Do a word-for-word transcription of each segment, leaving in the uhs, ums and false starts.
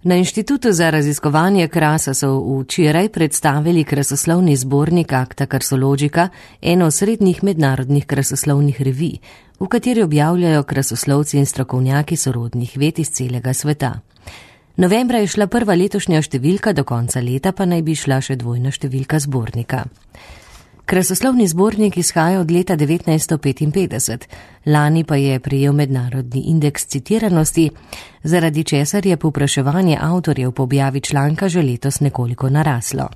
Na Inštitutu za raziskovanje krasa so včeraj predstavili krasoslovni zbornik Acta Karsologica, eno osrednjih mednarodnih krasoslovnih revij, v kateri objavljajo krasoslovci in strokovnjaki sorodnih ved iz celega sveta. Novembra je šla prva letošnja številka, do konca leta pa naj bi šla še dvojna številka zbornika. Krasoslovni zbornik izhaja od leta devetnajststo petinpetdeset, lani pa je prejel mednarodni indeks citiranosti, zaradi česar je povpraševanje avtorjev po objavi članka že letos nekoliko naraslo.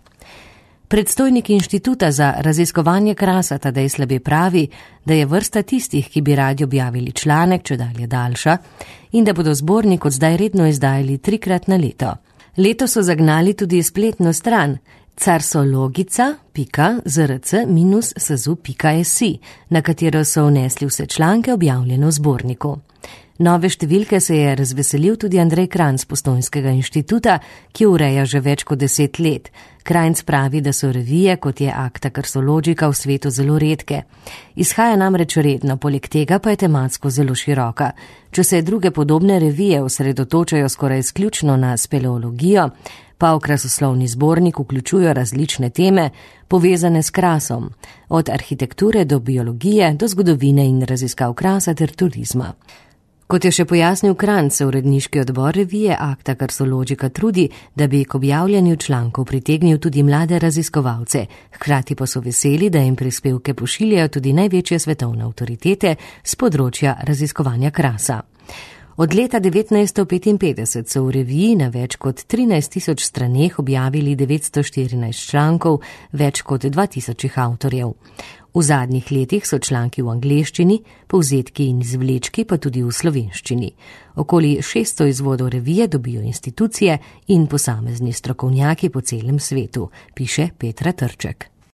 Predstojnik Inštituta za raziskovanje krasa Tadej Slabe pravi, da je vrsta tistih, ki bi radi objavili članek, čedalje daljša, in da bodo zbornik od zdaj redno izdajali trikrat na leto. Leto so zagnali tudi spletno stran carsologica pika zrc minus sazu pika si, na katero so vnesli vse članke objavljene v zborniku. Nove številke se je razveselil tudi Andrej Kranjc Postojnskega inštituta, ki ureja že več kot deset let. Kranjc pravi, da so revije, kot je Acta Karsologica, v svetu zelo redke. Izhaja namreč redno, poleg tega pa je tematsko zelo široka. Če se druge podobne revije osredotočajo skoraj izključno na speleologijo, pa v krasoslovni zbornik vključujo različne teme, povezane s krasom, od arhitekture do biologije, do zgodovine in raziskav krasa ter turizma. Kot je še pojasnil Kranjc, se uredniški odbor revije Acta Karsologica trudi, da bi k objavljanju člankov pritegnil tudi mlade raziskovalce, hkrati pa so veseli, da jim prispevke pošiljajo tudi največje svetovne avtoritete z področja raziskovanja krasa. Od leta devetnajststo petinpetdeset so v reviji na več kot trinajst tisoč straneh objavili devetsto štirinajst člankov, več kot dva tisočih avtorjev. V zadnjih letih so članki v angleščini, povzetki in izvlečki pa tudi v slovenščini. Okoli šeststo izvodov revije dobijo institucije in posamezni strokovnjaki po celem svetu, piše Petra Trček.